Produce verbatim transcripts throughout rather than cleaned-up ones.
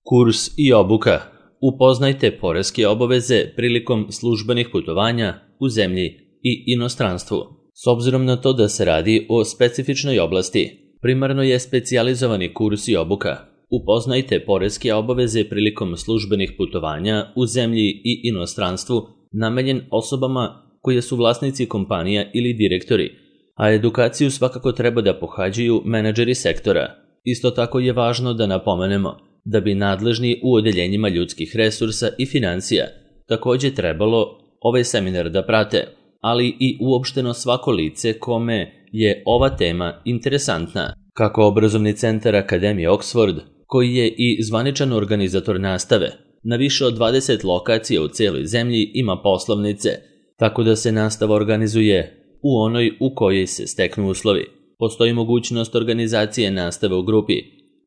Kurs i obuka. Upoznajte poreske obaveze prilikom službenih putovanja u zemlji i inostranstvu. S obzirom na to da se radi o specifičnoj oblasti, primarno je specijalizovani kurs i obuka. Upoznajte poreske obaveze prilikom službenih putovanja u zemlji i inostranstvu namenjen osobama koje su vlasnici kompanija ili direktori, a edukaciju svakako treba da pohađaju menadžeri sektora. Isto tako je važno da napomenemo da bi nadležni u odeljenjima ljudskih resursa i financija takođe trebalo ovaj seminar da prate, ali i uopšteno svako lice kome je ova tema interesantna. Kako obrazovni centar Akademije Oxford, koji je i zvaničan organizator nastave, na više od dvadeset lokacija u celoj zemlji ima poslovnice, tako da se nastava organizuje u onoj u kojoj se steknu uslovi. Postoji mogućnost organizacije nastave u grupi,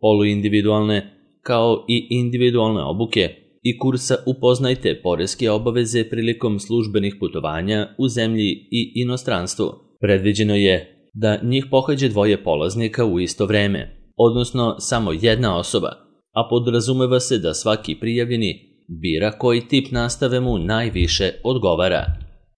poluindividualne, kao i individualne obuke i kursa Upoznajte poreske obaveze prilikom službenih putovanja u zemlji i inostranstvu. Predviđeno je da njih pohađe dvoje polaznika u isto vreme, odnosno samo jedna osoba, a podrazumeva se da svaki prijavljeni bira koji tip nastave mu najviše odgovara.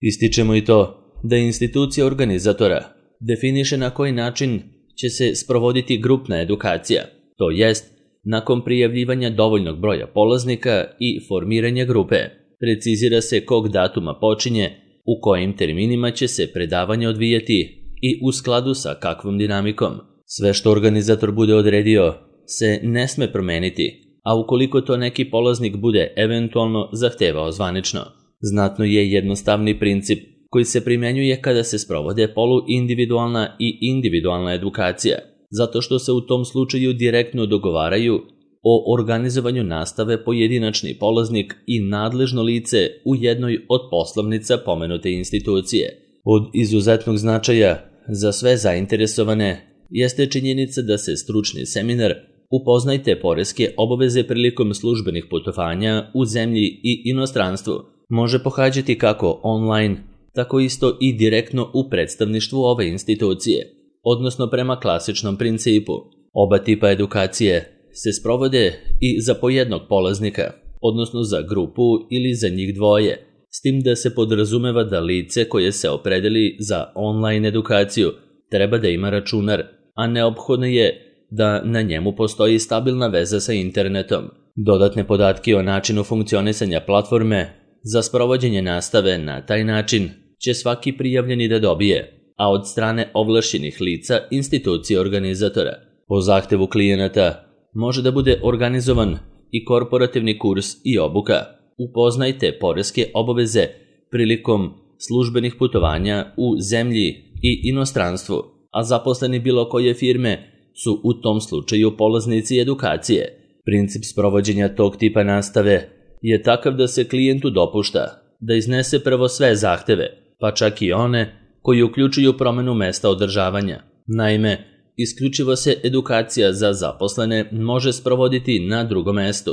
Ističemo i to da institucija organizatora definiše na koji način će se sprovoditi grupna edukacija, to jest nakon prijavljivanja dovoljnog broja polaznika i formiranja grupe. Precizira se kog datuma počinje, u kojim terminima će se predavanje odvijati i u skladu sa kakvom dinamikom. Sve što organizator bude odredio se ne sme promeniti, a ukoliko to neki polaznik bude eventualno zahtevao zvanično. Znatno je jednostavni princip koji se primenjuje kada se sprovode poluindividualna i individualna edukacija, zato što se u tom slučaju direktno dogovaraju o organizovanju nastave pojedinačni polaznik i nadležno lice u jednoj od poslovnica pomenute institucije. Od izuzetnog značaja za sve zainteresovane jeste činjenica da se stručni seminar Upoznajte poreske obaveze prilikom službenih putovanja u zemlji i inostranstvu može pohađati kako online, tako isto i direktno u predstavništvu ove institucije, odnosno prema klasičnom principu. Oba tipa edukacije se sprovode i za po jednog polaznika, odnosno za grupu ili za njih dvoje, s tim da se podrazumeva da lice koje se opredeli za online edukaciju treba da ima računar, a neophodno je da na njemu postoji stabilna veza sa internetom. Dodatne podatke o načinu funkcionisanja platforme za sprovođenje nastave na taj način će svaki prijavljeni da dobije, a od strane ovlašćenih lica institucije organizatora. Po zahtevu klijenata može da bude organizovan i korporativni kurs i obuka. Upoznajte poreske obaveze prilikom službenih putovanja u zemlji i inostranstvu, a zaposleni bilo koje firme su u tom slučaju polaznici edukacije. Princip sprovođenja tog tipa nastave je takav da se klijentu dopušta da iznese prvo sve zahteve, pa čak i one koji uključuju promenu mesta održavanja. Naime, isključivo se edukacija za zaposlene može sprovoditi na drugom mestu,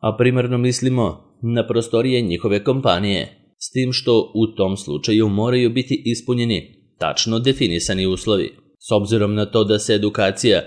a primarno mislimo na prostorije njihove kompanije, s tim što u tom slučaju moraju biti ispunjeni tačno definisani uslovi. S obzirom na to da se edukacija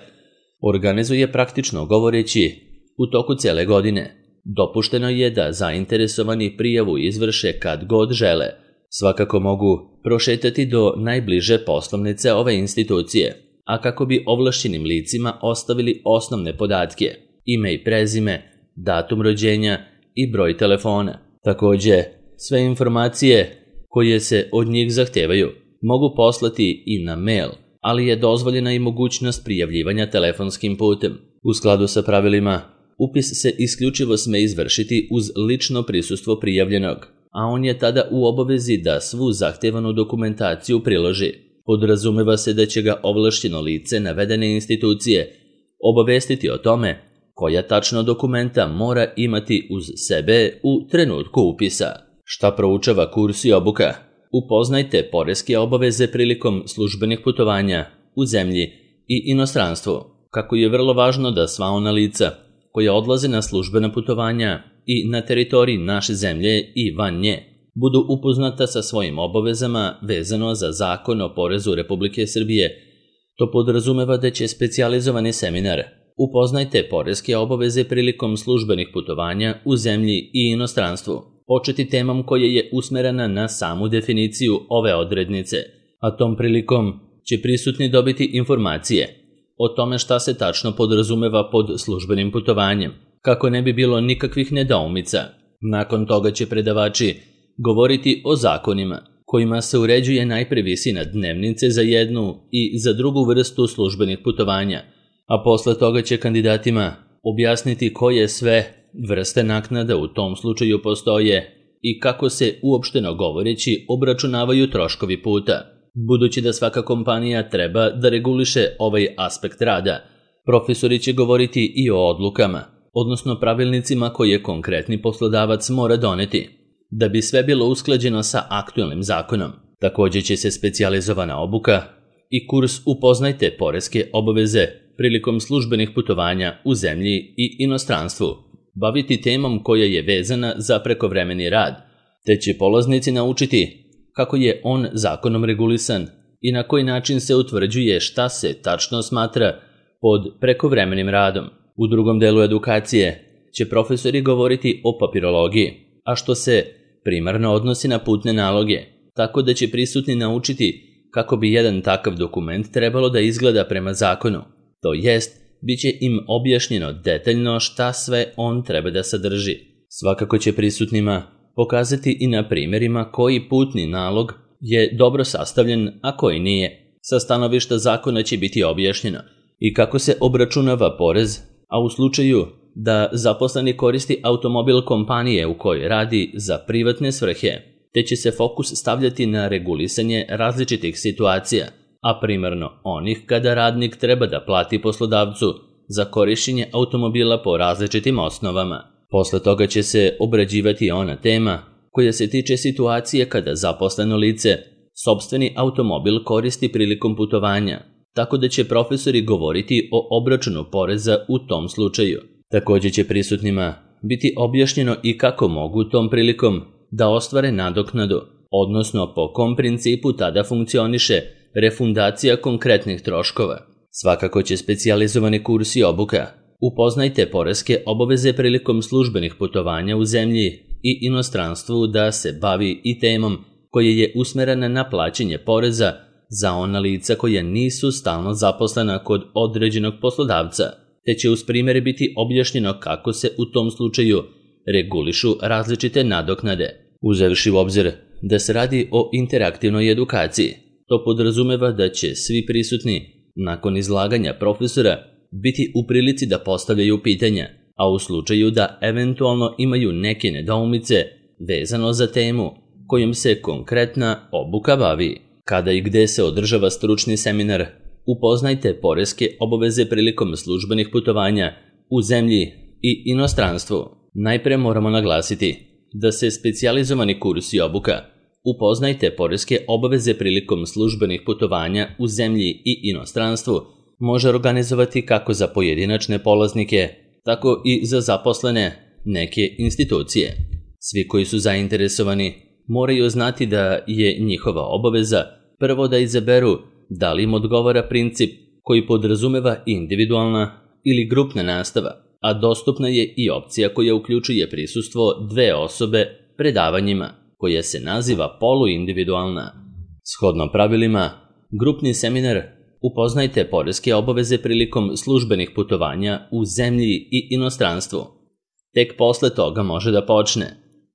organizuje praktično govoreći u toku cijele godine, dopušteno je da zainteresovani prijavu izvrše kad god žele. Svakako mogu prošetati do najbliže poslovnice ove institucije, a kako bi ovlašćenim licima ostavili osnovne podatke, ime i prezime, datum rođenja i broj telefona. Takođe, sve informacije koje se od njih zahtevaju mogu poslati i na mail, ali je dozvoljena i mogućnost prijavljivanja telefonskim putem. U skladu sa pravilima, upis se isključivo sme izvršiti uz lično prisustvo prijavljenog, a on je tada u obavezi da svu zahtevanu dokumentaciju priloži. Podrazumeva se da će ga ovlašćeno lice navedene institucije obavestiti o tome koja tačno dokumenta mora imati uz sebe u trenutku upisa. Šta proučava kurs i obuka? Upoznajte poreske obaveze prilikom službenih putovanja u zemlji i inostranstvu. Kako je vrlo važno da sva ona lica koja odlaze na službena putovanja i na teritoriji naše zemlje i van nje budu upoznata sa svojim obavezama vezano za Zakon o porezu Republike Srbije. To podrazumeva da će specijalizovani seminar Upoznajte poreske obaveze prilikom službenih putovanja u zemlji i inostranstvu. Početi temom koja je usmerena na samu definiciju ove odrednice, a tom prilikom će prisutni dobiti informacije o tome šta se tačno podrazumeva pod službenim putovanjem, kako ne bi bilo nikakvih nedoumica. Nakon toga će predavači govoriti o zakonima kojima se uređuje najpre visina dnevnice za jednu i za drugu vrstu službenih putovanja, a posle toga će kandidatima objasniti koje sve vrste naknada u tom slučaju postoje i kako se uopšteno govoreći obračunavaju troškovi puta. Budući da svaka kompanija treba da reguliše ovaj aspekt rada, profesori će govoriti i o odlukama, odnosno pravilnicima koje konkretni poslodavac mora doneti, da bi sve bilo usklađeno sa aktuelnim zakonom. Također će se specijalizovana obuka i kurs Upoznajte poreske obaveze prilikom službenih putovanja u zemlji i inostranstvu baviti temom koja je vezana za prekovremeni rad, te će polaznici naučiti kako je on zakonom regulisan i na koji način se utvrđuje šta se tačno smatra pod prekovremenim radom. U drugom delu edukacije će profesori govoriti o papirologiji, a što se primarno odnosi na putne naloge, tako da će prisutni naučiti kako bi jedan takav dokument trebalo da izgleda prema zakonu. To jest, bit će im objašnjeno detaljno šta sve on treba da sadrži. Svakako će prisutnima pokazati i na primjerima koji putni nalog je dobro sastavljen, a koji nije. Sa stanovišta zakona će biti objašnjeno i kako se obračunava porez, a u slučaju da zaposleni koristi automobil kompanije u kojoj radi za privatne svrhe, te će se fokus stavljati na regulisanje različitih situacija, a primarno onih kada radnik treba da plati poslodavcu za korišćenje automobila po različitim osnovama. Posle toga će se obrađivati ona tema koja se tiče situacije kada zaposleno lice sopstveni automobil koristi prilikom putovanja, tako da će profesori govoriti o obračunu poreza u tom slučaju. Također će prisutnima biti objašnjeno i kako mogu tom prilikom da ostvare nadoknadu, odnosno po kom principu tada funkcioniše refundacija konkretnih troškova. Svakako će specijalizovani kurs i obuka Upoznajte poreske obaveze prilikom službenih putovanja u zemlji i inostranstvu da se bavi i temom koja je usmerena na plaćanje poreza za ona lica koja nisu stalno zaposlena kod određenog poslodavca, te će uz primjere biti objašnjeno kako se u tom slučaju regulišu različite nadoknade. Uzevši u obzir da se radi o interaktivnoj edukaciji, to podrazumeva da će svi prisutni nakon izlaganja profesora biti u prilici da postavljaju pitanja, a u slučaju da eventualno imaju neke nedoumice vezano za temu kojom se konkretna obuka bavi. Kada i gde se održava stručni seminar Upoznajte poreske obaveze prilikom službenih putovanja u zemlji i inostranstvu, najpre moramo naglasiti da se specijalizovani kurs i obuka Upoznajte poreske obaveze prilikom službenih putovanja u zemlji i inostranstvu može organizovati kako za pojedinačne polaznike, tako i za zaposlene neke institucije. Svi koji su zainteresovani moraju znati da je njihova obaveza prvo da izaberu da li im odgovara princip koji podrazumeva individualna ili grupna nastava, a dostupna je i opcija koja uključuje prisustvo dve osobe predavanjima, koja se naziva poluindividualna. Shodno pravilima, grupni seminar Upoznajte poreske obaveze prilikom službenih putovanja u zemlji i inostranstvu tek posle toga može da počne,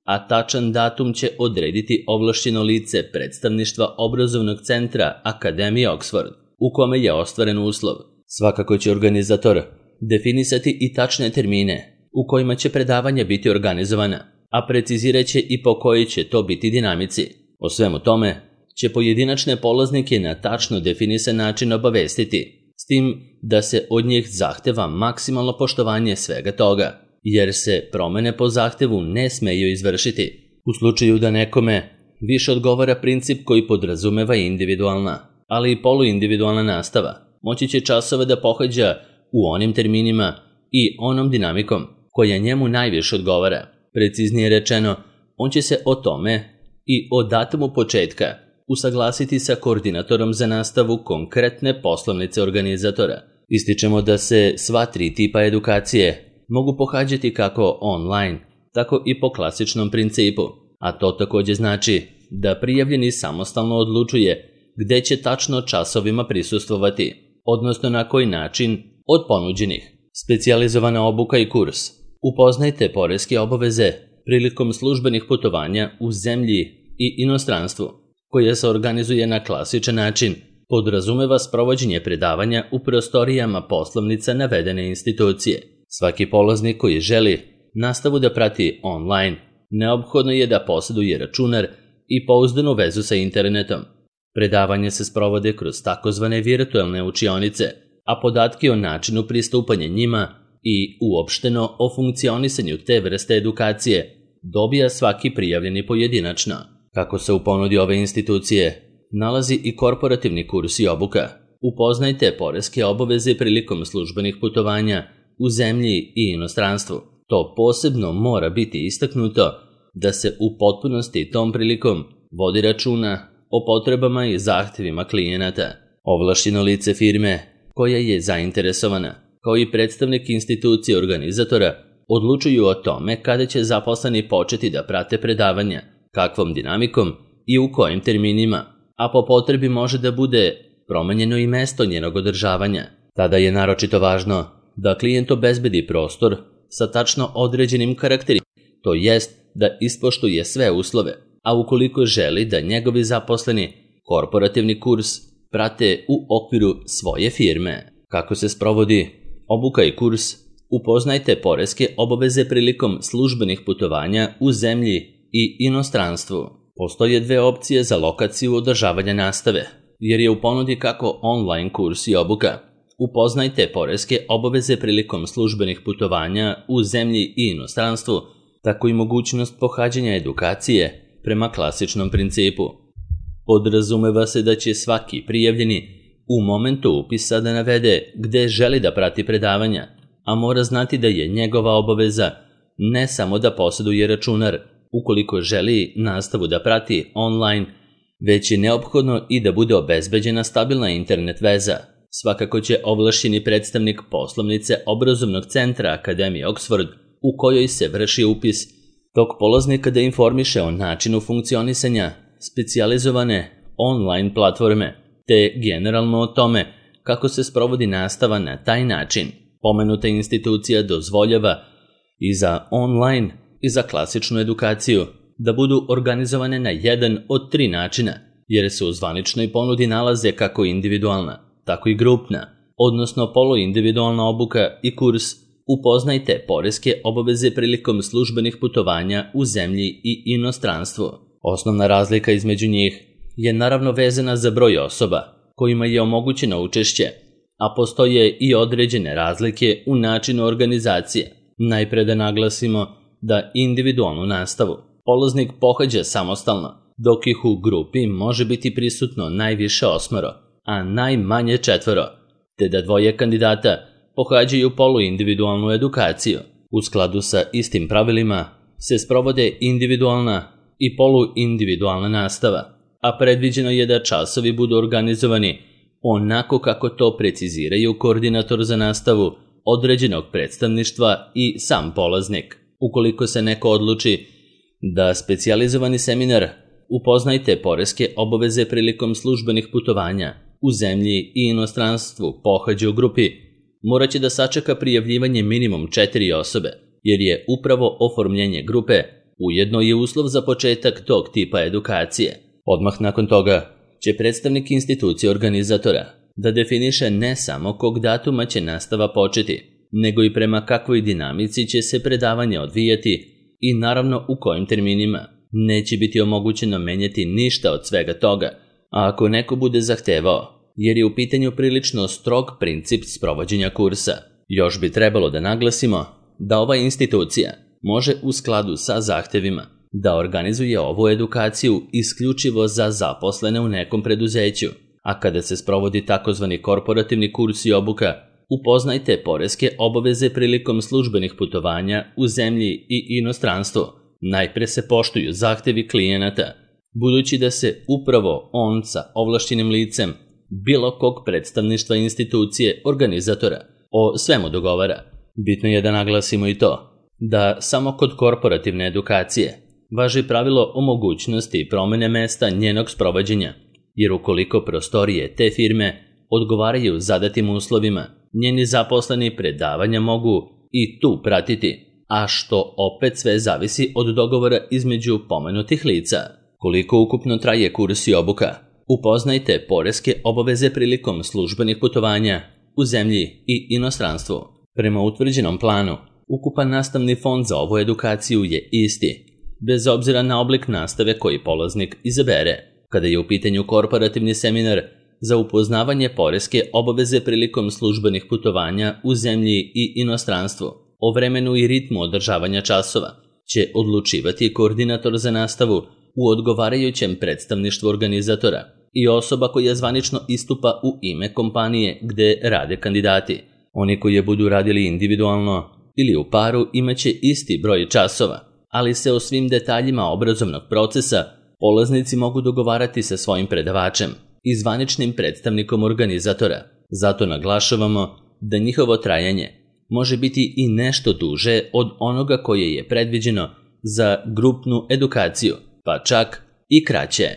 a tačan datum će odrediti ovlašćeno lice predstavništva obrazovnog centra Akademije Oxford, u kome je ostvaren uslov. Svakako će organizator definisati i tačne termine u kojima će predavanja biti organizovana, a precizirat će i po kojoj će to biti dinamici. O svemu tome će pojedinačne polaznike na tačno definisan način obavestiti, s tim da se od njih zahteva maksimalno poštovanje svega toga, jer se promene po zahtevu ne smeju izvršiti. U slučaju da nekome više odgovara princip koji podrazumeva individualna, ali i poluindividualna nastava, moći će časove da pohađa u onim terminima i onom dinamikom koja njemu najviše odgovara. Preciznije rečeno, on će se o tome i o datumu početka usaglasiti sa koordinatorom za nastavu konkretne poslovnice organizatora, Ističemo da se sva tri tipa edukacije mogu pohađati kako online, tako i po klasičnom principu, a to također znači da prijavljeni samostalno odlučuje gde će tačno časovima prisustvovati, odnosno na koji način od ponuđenih. Specijalizovana obuka i kurs. Upoznajte poreske obaveze prilikom službenih putovanja u zemlji i inostranstvu, koja se organizuje na klasičan način, podrazumeva sprovođenje predavanja u prostorijama poslovnica navedene institucije. Svaki polaznik koji želi nastavu da prati online, neophodno je da posjeduje računar i pouzdanu vezu sa internetom. Predavanje se sprovode kroz takozvane virtualne učionice, a podatke o načinu pristupanja njima i uopšteno o funkcionisanju te vrste edukacije dobija svaki prijavljeni pojedinačno. Kako se u ponudi ove institucije nalazi i korporativni kurs i obuka. Upoznajte poreske obaveze prilikom službenih putovanja u zemlji i inostranstvu. To posebno mora biti istaknuto da se u potpunosti tom prilikom vodi računa o potrebama i zahtjevima klijenata. Ovlašćeno lice firme koja je zainteresovana, kao i predstavnik institucije organizatora, odlučuju o tome kada će zaposleni početi da prate predavanja, kakvom dinamikom i u kojim terminima, a po potrebi može da bude promenjeno i mesto njenog održavanja. Tada je naročito važno da klijent obezbedi prostor sa tačno određenim karakteristikama, to jest da ispoštuje sve uslove, a ukoliko želi da njegovi zaposleni korporativni kurs prate u okviru svoje firme. Kako se sprovodi obuka i kurs? Upoznajte poreske obaveze prilikom službenih putovanja u zemlji i inostranstvu. Postoje dve opcije za lokaciju održavanja nastave, jer je u ponudi kako online kurs i obuka. Upoznajte poreske obaveze prilikom službenih putovanja u zemlji i inostranstvu, tako i mogućnost pohađanja edukacije prema klasičnom principu. Podrazumeva se da će svaki prijavljeni u momentu upisa da navede gde želi da prati predavanja, a mora znati da je njegova obaveza ne samo da posjeduje računar ukoliko želi nastavu da prati online, već je neophodno i da bude obezbeđena stabilna internet veza. Svakako će ovlašćeni predstavnik poslovnice obrazovnog centra Akademije Oxford, u kojoj se vrši upis, tog polaznika da informiše o načinu funkcionisanja specijalizovane online platforme, te generalno o tome kako se sprovodi nastava na taj način. Pomenuta institucija dozvoljava i za online i za klasičnu edukaciju da budu organizovane na jedan od tri načina, jer se u zvaničnoj ponudi nalaze kako individualna, tako i grupna, odnosno poluindividualna obuka i kurs. Upoznajte poreske obaveze prilikom službenih putovanja u zemlji i inostranstvu. Osnovna razlika između njih je naravno vezana za broj osoba kojima je omogućeno učešće, a postoje i određene razlike u načinu organizacije. Najpre da naglasimo da individualnu nastavu polaznik pohađa samostalno, dok ih u grupi može biti prisutno najviše osmoro, a najmanje četvoro, te da dvoje kandidata pohađaju poluindividualnu edukaciju. U skladu sa istim pravilima se sprovode individualna i poluindividualna nastava, a predviđeno je da časovi budu organizovani onako kako to preciziraju koordinator za nastavu određenog predstavništva i sam polaznik. Ukoliko se neko odluči da specijalizovani seminar Upoznajte poreske obaveze prilikom službenih putovanja u zemlji i inostranstvu pohađa u grupi, morat će da sačeka prijavljivanje minimum četiri osobe, jer je upravo oformljenje grupe ujedno je uslov za početak tog tipa edukacije. Odmah nakon toga će predstavnik institucije organizatora da definiše ne samo kog datuma će nastava početi, nego i prema kakvoj dinamici će se predavanje odvijati i naravno u kojim terminima. Neće biti omogućeno menjati ništa od svega toga, a ako neko bude zahtevao, jer je u pitanju prilično strog princip sprovođenja kursa. Još bi trebalo da naglasimo da ova institucija može u skladu sa zahtevima da organizuje ovu edukaciju isključivo za zaposlene u nekom preduzeću, a kada se sprovodi takozvani korporativni kurs i obuka, upoznajte poreske obaveze prilikom službenih putovanja u zemlji i inostranstvu. Najpre se poštuju zahtevi klijenata, budući da se upravo on sa ovlašćenim licem bilo kog predstavništva institucije, organizatora, o svemu dogovara. Bitno je da naglasimo i to da samo kod korporativne edukacije važi pravilo o mogućnosti promene mesta njenog sprovođenja, jer ukoliko prostorije te firme odgovaraju zadatim uslovima, njeni zaposleni predavanja mogu i tu pratiti, a što opet sve zavisi od dogovora između pomenutih lica. Koliko ukupno traje kurs i obuka? Upoznajte poreske obaveze prilikom službenih putovanja u zemlji i inostranstvu. Prema utvrđenom planu, ukupan nastavni fond za ovu edukaciju je isti, bez obzira na oblik nastave koji polaznik izabere. Kada je u pitanju korporativni seminar za upoznavanje poreske obaveze prilikom službenih putovanja u zemlji i inostranstvu, o vremenu i ritmu održavanja časova će odlučivati koordinator za nastavu u odgovarajućem predstavništvu organizatora i osoba koja zvanično istupa u ime kompanije gde rade kandidati. Oni koji je budu radili individualno ili u paru imaće isti broj časova, ali se o svim detaljima obrazovnog procesa polaznici mogu dogovarati sa svojim predavačem i zvaničnim predstavnikom organizatora. Zato naglašavamo da njihovo trajanje može biti i nešto duže od onoga koje je predviđeno za grupnu edukaciju, pa čak i kraće.